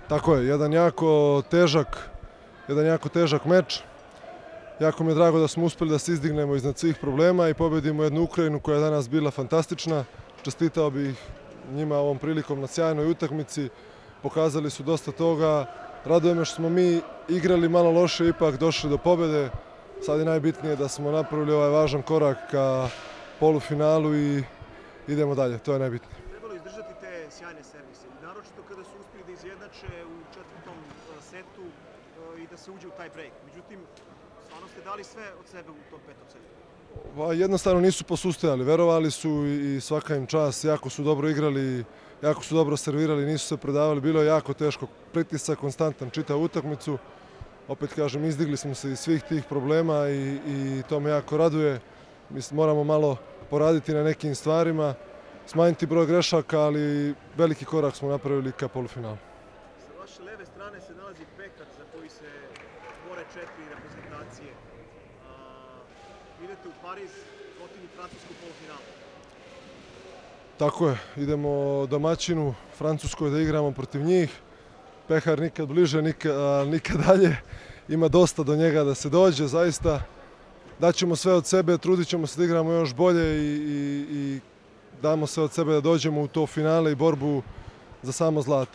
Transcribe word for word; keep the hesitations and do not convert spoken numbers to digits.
Tako je, jedan jako težak, jedan jako težak meč. Jako mi je drago da smo uspeli da se izdignemo iznad svih problema i pobedimo jednu Ukrajinu koja je danas bila fantastična. Čestitao bih njima ovom prilikom na sjajnoj utakmici. Pokazali su dosta toga. Raduje me što smo mi igrali malo loše i ipak došli do pobede. Sad je najbitnije da smo napravili ovaj važan korak ka polufinalu i idemo dalje, to je najbitnije. Trebalo izdržati te sjajne servise, naročito kada su uspjeli da izjednače u četvrtom setu i da se uđe u taj break. Međutim, stvarno ste dali sve od sebe u tom petom setu. Pa, jednostavno nisu posustajali, verovali su i svaka im čast, jako su dobro igrali, jako su dobro servirali, nisu se predavali, bilo je jako teško, pritisak konstantan čitavu utakmicu. Opet kažem, izdigli smo se iz svih tih problema i, i to me jako raduje. Mislim, moramo malo poraditi na nekim stvarima, smanjiti broj grešaka, ali veliki korak smo napravili ka polufinalu. Sa vaše leve strane se nalazi Pekar za koji se bore četiri reprezentacije. A, idete u Pariz, protivnik Francusku u polufinalu. Tako je, idemo domaćinu Francuskoj da igramo protiv njih. Pehar nikad bliže, nikad, nikad dalje. Ima dosta do njega da se dođe, zaista. Daćemo sve od sebe, trudit ćemo se da igramo još bolje i, i, i damo sve od sebe da dođemo u to finale i borbu za samo zlato.